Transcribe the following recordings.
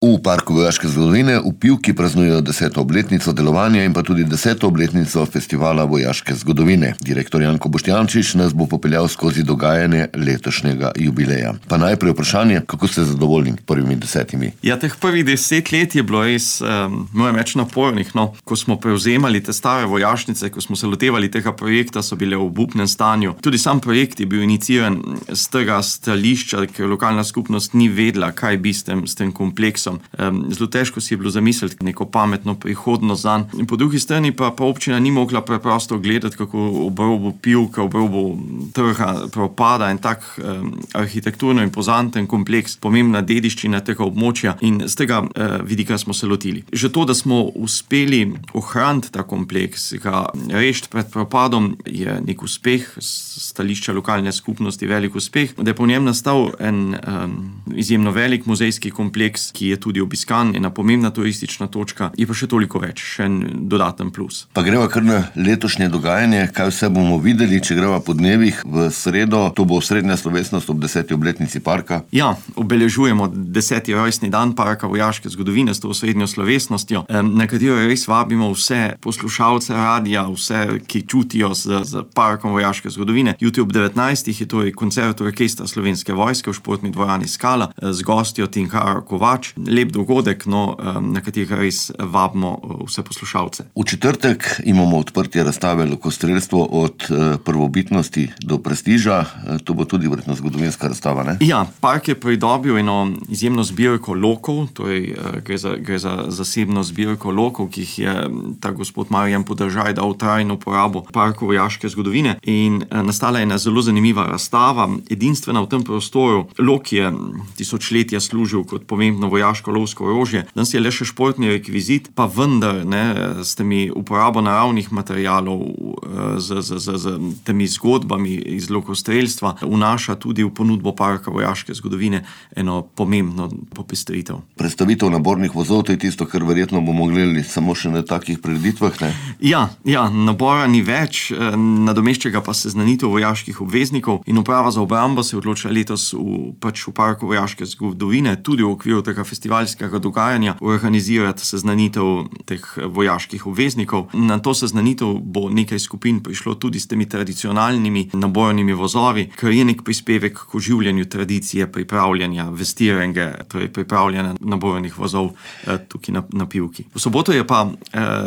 V Parku vojaške zgodovine v Pivki praznujejo 10. obletnico delovanja in pa tudi 10. obletnico Festivala vojaške zgodovine. Direktor Janko Boštjančič nas bo popeljal skozi dogajanje letošnjega jubileja. Pa najprej vprašanje, kako ste zadovoljni prvimi 10? Ja, teh prvih 10 let je bilo res, moram reči, napornih. No. Ko smo prevzemali te stare vojašnice, ko smo se lotevali tega projekta, so bile v obupnem stanju. Tudi sam projekt je bil iniciiran z tega stališča, ker lokalna skupnost ni vedela, kaj bi s tem kompleksom. Zelo težko si je bilo zamisliti neko pametno prihodnost zanj. In po drugi strani pa občina ni mogla preprosto gledati, kako ob robu Pivke, ob robu trga propada en tak arhitekturno impozanten kompleks, pomembna dediščina tega območja, in z tega vidika smo se lotili. Že to, da smo uspeli ohraniti ta kompleks, ga rešiti pred propadom, je nek uspeh, stališča lokalne skupnosti velik uspeh, da je po njem nastal en izjemno velik muzejski kompleks, ki je tudi obiskan, ena pomembna turistična točka, je pa še toliko več, še en dodaten plus. Pa greva kar na letošnje dogajanje, kaj vse bomo videli, če greva po dnevih v sredo, to bo srednja slovesnost ob 10. obletnici parka. Ja, obeležujemo 10. rojstni dan Parka vojaške zgodovine s to srednjo slovesnostjo, na katero res vabimo vse poslušalce radija, vse, ki čutijo z Parkom vojaške zgodovine. Jutri ob 19. je torej koncert orkestra Slovenske vojske v športni dvorani Skala z gostjo Tinkaro Kovač. Lep dogodek, na katerega res vabimo vse poslušalce. V četrtek imamo odprtje razstave Lokostrelstvo od prvobitnosti do prestiža. To bo tudi verjetno zgodovinska razstava, ne? Ja, park je pridobil eno izjemno zbirko lokov, torej gre za zasebno zbirko lokov, ki jih je ta gospod Marjan Podržaj dal v trajno uporabo Parku vojaške zgodovine, in nastala je ena zelo zanimiva razstava, edinstvena v tem prostoru. Lok je tisočletja služil kot pomembno vojaško lovsko orožje, danes je le še športni rekvizit, pa vendar s temi uporabo naravnih materialov, z temi zgodbami iz lokostrelstva vnaša tudi v ponudbo Parka vojaške zgodovine eno pomembno popestritev. Predstavitev nabornih vozov, to je tisto, kar verjetno bomo gledali samo še na takih prireditvah, ne? Ja, nabora ni več, nadomešča pa seznanitev vojaških obveznikov, in uprava za obrambo se je odločila letos v Parku vojaške zgodovine tudi v okviru tega festivalskega dogajanja organizirati seznanitev teh vojaških obveznikov. Na to seznanitev bo nekaj skupin prišlo tudi s temi tradicionalnimi nabornimi vozovi, kar je nek prispevek k oživljanju tradicije pripravljanja vestirenge, torej pripravljanja nabornih vozov tukaj na Pivki. V soboto je pa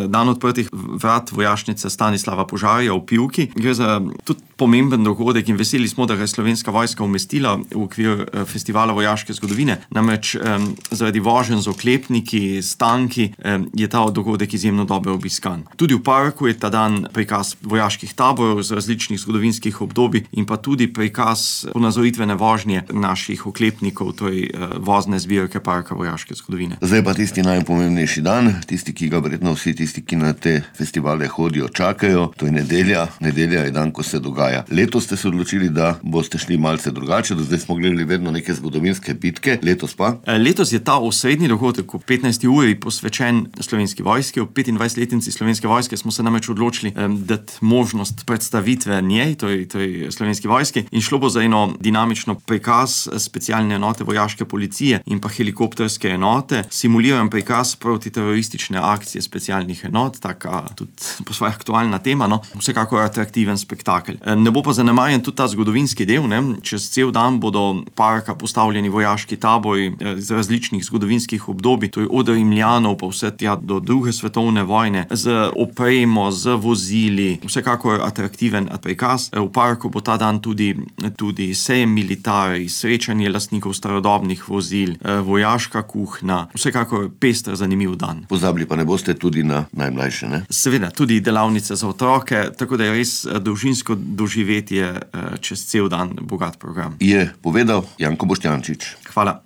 dan odprtih vrat vojašnice Stanislava Požarja v Pivki. Gre za tudi pomemben dogodek in veseli smo, da ga je Slovenska vojska umestila v okvir festivala vojaške zgodovine. Namreč zaradi voženj z oklepniki, s tanki, je ta dogodek izjemno dobro obiskan. Tudi v parku je ta dan prikaz vojaških taborov z različnih zgodovinskih obdobij in pa tudi prikaz ponazoritvene vožnje naših oklepnikov, torej vozne zbirke Parka vojaške zgodovine. Zdaj pa tisti najpomembnejši dan, tisti, ki ga verjetno vsi tisti, ki na te festivale hodijo, čakajo, to je nedelja. Nedelja je dan, ko se dogaja. Letos ste se odločili, da boste šli malce drugače, do zdaj smo gledali vedno neke zgodovinske bitke, letos pa? Letos je ta osrednji dogodek ob 15. uri posvečen Slovenski vojski. Ob 25-letnici Slovenske vojske smo se namreč odločili dati možnost predstavitve njej, torej Slovenski vojski, in šlo bo za eno dinamično prikaz specialne enote vojaške policije in pa helikopterske enote, simuliran prikaz protiteroristične akcije specialnih enot, taka tudi po svoje aktualna tema, vsekakor atraktiven spektakel. Ne bo pa zanemarjen tudi ta zgodovinski del, čez cel dan bodo parka postavljeni vojaški tabori iz različnih zgodovinskih obdobij, to je od Rimljanov pa vse tja do druge svetovne vojne, z opremo, z vozili, vsekakor atraktiven prikaz. V parku bo ta dan tudi sejem militari, srečanje lastnikov starodobnih vozil, vojaška kuhna, vsekakor pester, zanimiv dan. Pozabili pa ne boste tudi na najmlajše, ne? Seveda, tudi delavnice za otroke, tako da je res dolžinsko doživetje čez cel dan bogat program. Je povedal Janko Boštjančič. Hvala.